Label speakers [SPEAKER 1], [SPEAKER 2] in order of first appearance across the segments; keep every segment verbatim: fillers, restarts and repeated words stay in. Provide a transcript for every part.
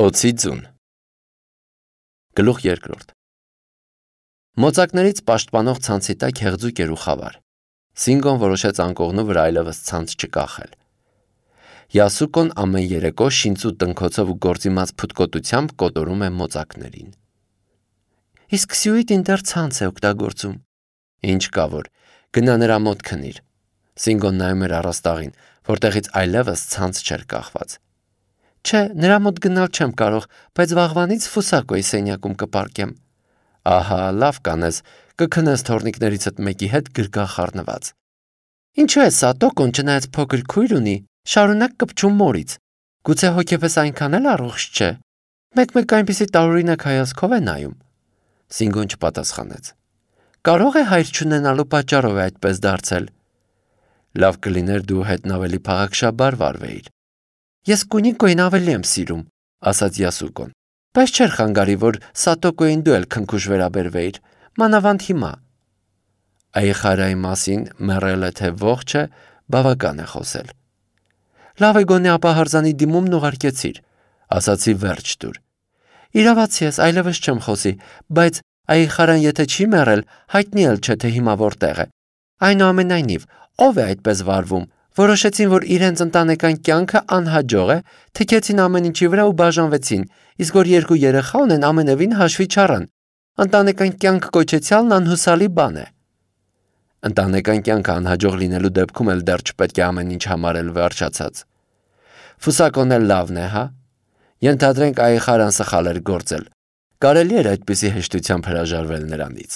[SPEAKER 1] Օձի ձուն Գլուխ երկրորդ Մոծակներից պաշտպանող ցանցի տակ հեղձուկ էր ու խավար։ Սինգոն որոշեց անկողնու վրա այլևս ցանց չկախել։ Յասուկոն ամեն երեկո շինծու տնքոցով ու գործիմաց փութկոտությամբ կոտորում է մոծակներին։ Իսկ Սյուիտին դեռ ցանց է օգտագործում։ Ինչ կա որ, գնա նրա մոտ քնիր։ Սինգոն նայում էր առաստաղին, որտեղից այլևս ցանց չէր կախված։ Չէ, նրա մոտ գնալ չեմ կարող, բայց վաղվանից Ֆուսակոյի սենյակում կպարկեմ։ Ահա, լավ կանես, կքնես թորնիկներիցդ մեկի հետ գրկախ խառնված։ Ինչու է Սատոկոն չնայած փոքր քույր ունի, շարունակ կպչում մորից։ Գուցե հոգեպես այնքան էլ առողջ չէ։ Մեկ-մեկ այնպիսի տարօրինակ հայացքով է նայում։ Սինգոն չպատասխանեց։ Կարող է հայր չունենալու պատճառով է այդպես դարձել։ Լավ կլիներ դու հետն ավելի փաղաքշաբար վարվեիր։ Ես Կունիկոյին ավելի եմ սիրում, ասաց Յասուկոն, բայց չէր խանգարի, որ Սատոկոյին դու էլ քնքուշ վերաբերվեիր, մանավանդ հիմա։ Այխարայի մասին մեռել է թե ողջ է, բավական է խոսել։ Լավ է գոնե ապա հարձանի դիմումն ուղարկեցիր, ասացի վերջ տուր։ Իրավացի ես, այլևս չեմ խոսի, բայց Այխարան եթե չի մեռել, հայտնի էլ չէ թե հիմա որտեղ է։ Այնուամենայնիվ, ով է այդպես վարվում։ Որոշեցին, որ իրենց ընտանեկան կյանքը անհաջող է, թքեցին ամեն ինչի վրա ու բաժանվեցին, իսկ որ երկու երեխա ունեն ամենևին հաշվի չառան։ Ընտանեկան կյանք կոչեցյալն անհուսալի բան է։ Ընտանեկան կյանքը անհաջող լինելու դեպքում էլ դեռ չպետք է ամեն ինչ համարել վերջացած։ Ֆուսակոն էլ լավն է, հա։ Ենթադրենք Այխարան սխալ էր գործել։ Կարելի էր այդպիսի հեշտությամբ հրաժարվել նրանից։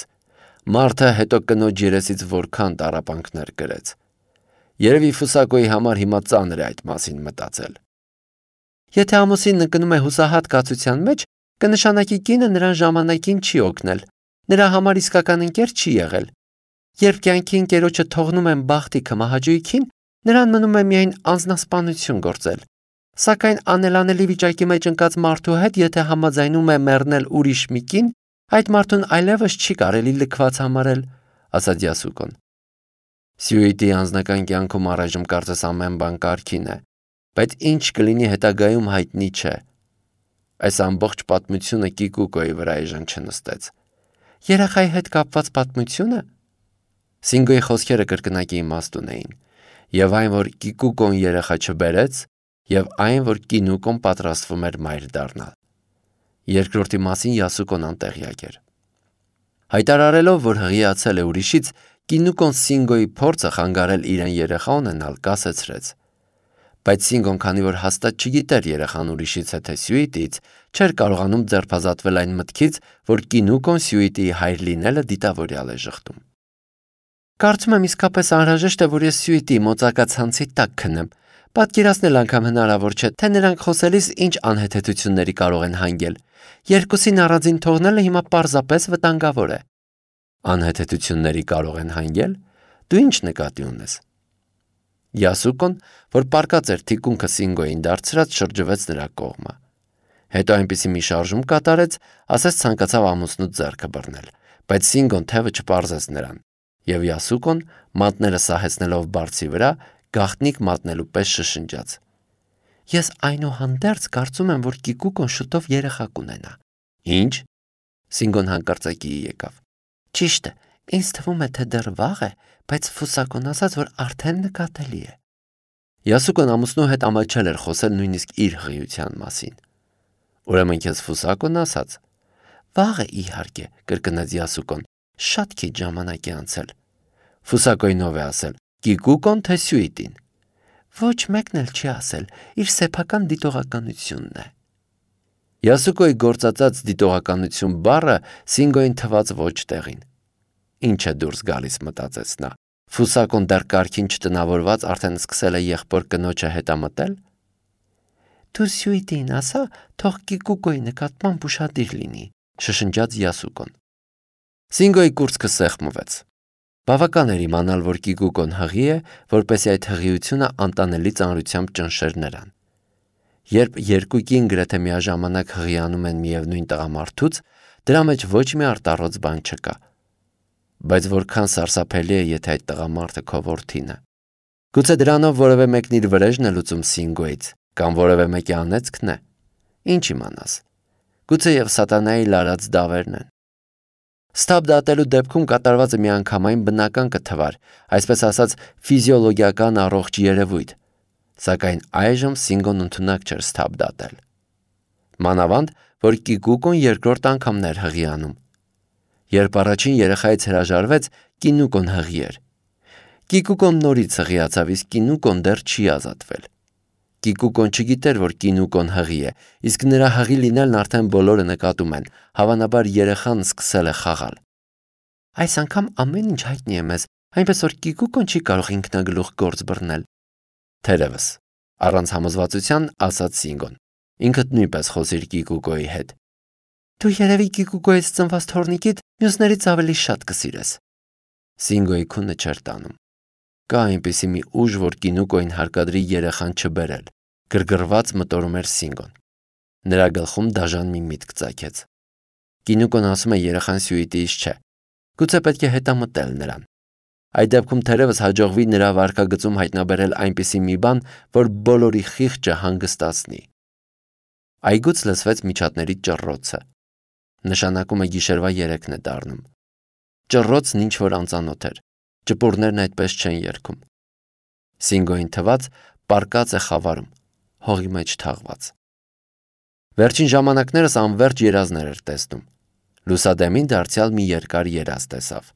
[SPEAKER 1] Մարդը հետո կնոջ երեսից որքան տառապանքներ կրեց։ Երևի Ֆուսակոյի համար հիմա ծանր է այդ մասին մտածել։ Եթե ամուսինը գնում է հուսահատ կացության մեջ, կնշանակի կինը նրան ժամանակին չի օգնել, նրա համար իսկական ընկեր չի եղել։ Երբ կյանքի ընկերոջը թողնում են բախտիքը մահաճույքին, նրան մնում է միայն անձնասպանություն գործել։ Սակայն անելանելի վիճակի մեջ ընկած մարդու հետ եթե համաձայնում է մեռնել ուրիշ մի կին, այդ մարդուն այլևս չի կարելի լքված համարել, ասաց Յասուկոն։ Սյուիտի անձնական կյանքում առայժմ կարծես ամեն բան կարգին է, բայց ինչ կլինի հետագայում հայտնի չէ։ Այս ամբողջ պատմությունը Կիկուկոյի վրա էժան չնստեց։ Երեխայի հետ կապված պատմությունը։ Սինգոյի խոսքերը կրկնակի իմաստ ունեին, եւ այն, որ Կիկուկոն երեխա չբերեց, եւ այն, որ Կինուկոն պատրաստվում էր մայր դառնալ։ Երկրորդի մասին Յասուկոն անտեղյակ էր։ Հայտարարելով, որ հղիացել է ուրիշից, Կինուկոն Սինգոյի փորձը խանգարել իրեն երեխա ունենալ կասեցրեց։ Բայց Սինգոն, քանի որ հաստատ չգիտեր երեխան ուրիշից է թե Սյուիտից, չէր կարողանում ձերբազատվել այն մտքից, որ Կինուկոն Սյուիտի հայր լինելը դիտավորյալ է ժխտում։ Կարծում եմ իսկապես անհրաժեշտ է, որ ես Սյուիտի մոծակացանցի տակ քնեմ։ Պատկերացնել անգամ հնարավոր չէ, թե նրանք խոսելիս ինչ անհեթեթությունների կարող են հանգել։ Երկուսին առանձին թողնելը հիմա պարզապես վտանգավոր է։ Անհեթեթությունների կարող են հանգել։ Դու ինչ նկատի ունես։ Յասուկոն, որ պարկած էր թիկունքը Սինգոյին դարձրած, շրջվեց նրա կողմը։ Հետո այնպիսի մի շարժում կատարեց, ասես ցանկացավ ամուսնու ձեռքը բռնել, բայց Սինգոն թևը չպարզեց նրան, եւ Յասուկոն, մատները սահեցնելով բարձի վրա, գաղտնիք մատնելու պես շշնջաց. Ես այնուհանդերձ կարծում եմ, որ Կիկուկոն շուտով երեխա կունենա։ Ինչ։ Սինգոն հանկարծակի եկավ։ Ճիշտ է, ինձ թվում է, թե դեռ վաղ է, բայց Ֆուսակոն ասաց, որ արդեն նկատելի է։ Յասուկոն ամուսնու հետ ամաչել էր խոսել նույնիսկ իր հղիության մասին։ Ուրեմն քեզ Ֆուսակոն ասաց։ Վաղ է իհարկե, կրկնեց Յասուկոն, շատ քիչ ժամանակ է անցել։ Ֆուսակոյնով է ասել, Կիկուկոն թե Սյուիտին։ Ոչ մեկն էլ չի ասել, իր սեփական դիտողականությունն է։ Յասուկոյի գործածած դիտողականություն բառը Սինգոյին թված ոչ տեղին։ Ինչ է դուրս գալիս, մտածեց նա։ Ֆուսակոն դեռ կարգին չտնավորված արդեն սկսել է եղբոր կնոջը հետամտել։ Դու Սյուիտին ասա, թող Կիկուկոյի նկատմամբ ուշադիր լինի, շշնջաց Յասուկոն։ Սինգոյի կուրծքը սեղմվեց։ Բավական էր իմանալ, որ Կիկուկոն հղի է, որպեսզի այդ հղիությունը անտանելի ծանրությամբ ճնշեր նրան։ Երբ երկու կին գրեթե միաժամանակ հղիանում են միևնույն տղամարդուց, դրա մեջ ոչ մի արտառոց բան չկա։ Բայց որքան սարսափելի է, եթե այդ տղամարդը քո որդին է։ Գուցե դրանով որևէ մեկն իր վրեժն է լուծում Սինգոյից, կամ որևէ մեկի անեծքն է։ Ինչ իմանաս։ Գուցե եւ սատանայի լարած դավերն են։ Սթափ դատելու դեպքում կատարվածը միանգամայն բնական կթվար, այսպես ասած ֆիզիոլոգիական առողջ երևույթ, սակայն այժմ Սինգոն ընդունակ չէր սթափ դատել։ Մանավանդ, որ Կիկուկոն երկրորդ անգամն էր հղի անում։ Երբ առաջին երեխայից հրաժարվեց, Կինուկոն հղի էր։ Կիկուկոն նորից հղիացավ, իսկ Կինուկոն դեռ չի ազատվել։ Կիկուկոն չգիտեր, որ Կինուկոն հղի է, իսկ նրա հղի լինելն արդեն բոլորը նկատում են, հավանաբար երեխան սկսել է խաղալ։ Այս անգամ ամեն ինչ հայտնի է մեզ, այնպես որ Կիկուկոն չի կարող ինքնագլուխ գործ բռնել։ Թերևս, առանց համոզվածության ասաց Սինգոն։ Ինքդ նույնպես խոսիր Կիկուկոյի հետ։ Դու երևի Կիկուկոյից ծնված թոռնիկիդ մյուսներից ավելի շատ կսիրես։ Սինգոյի քունը չէր տանում։ Կա այնպիսի մի ուժ, որ Կինուկոյին հարկադրի երեխան չբերել, գրգռված մտորում էր Սինգոն։ Նրա գլխում դաժան մի միտք ծագեց։ Կինուկոն ասում է երեխան Սյուիտիից չէ։ Գուցե պետք է հետամտել նրան։ Այդ դեպքում թերևս հաջողվի նրա վարքագծում հայտնաբերել այնպիսի մի բան, որ բոլորի խիղճը հանգստացնի։ Այգուց լսվեց միջատների ճռռոցը։ Նշանակում է գիշերվա երեքն է դառնում։ Ճռռոցն ինչ որ անծանոթ էր։ Ճպուրներն այդպես չեն երգում։ Սինգոյին թված պարկած է խավարում, հողի մեջ թաղված։ Վերջին ժամանակներս անverջ երազներ էր տեսնում։ Լուսադեմին դարձյալ մի երկար երազ տեսավ։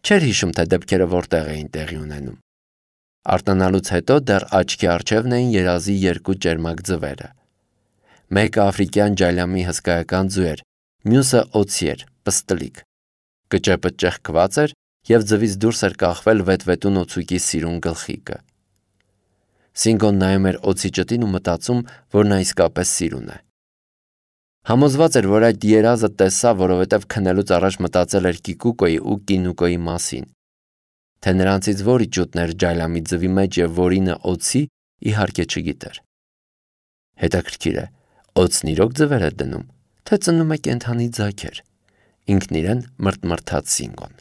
[SPEAKER 1] Չէր հիշում, թե դեպքերը որտեղ էին տեղի ունենում։ Արտանալուց հետո դեռ աչքի առջևն էին երազի երկու ճերմակ ձվերը։ Մեկը աֆրիկյան ջալյամի հսկայական ձու էր, մյուսը օձի էր, պստլիկ։ Կճեպը ճեղքված էր և ձվից դուրս էր կախվել վետվետուն օձուկի սիրուն գլխիկը։ Սինգոն նայում էր օձի ճտին ու մտածում, որ նա իսկապես սիրուն է։ Համոզված էր, որ այդ երազը տեսավ, որովհետև քնելուց առաջ մտածել էր Կիկուկոյի ու Կինուկոյի մասին։ Թե նրանցից որի ջութն էր ջալյամի ձվի մեջ և որինը օձի, իհարկե չգիտեր։ Հետաքրքիր է, օձն իրոք ձվեր է դնում, թե ծնում է կենդանի ձագեր։ Ինքն իրեն մրթմրթաց Սինգոն։